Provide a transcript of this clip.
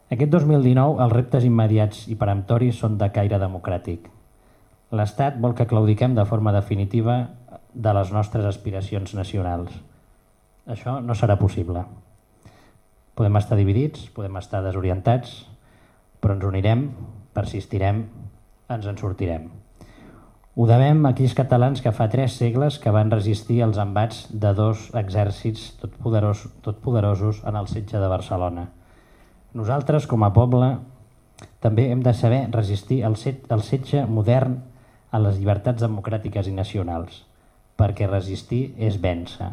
Aquest 2019 els reptes immediats i peremptoris són de caire democràtic. L'Estat vol que claudiquem de forma definitiva de les nostres aspiracions nacionals. Això no serà possible. Podem estar dividits, podem estar desorientats, però ens unirem, persistirem, ens en sortirem. Ho devem a aquells catalans que fa 3 segles que van resistir els embats de 2 exèrcits totpoderosos en el setge de Barcelona. Nosaltres, com a poble, també hem de saber resistir el setge modern a les llibertats democràtiques i nacionals, perquè resistir és vèncer.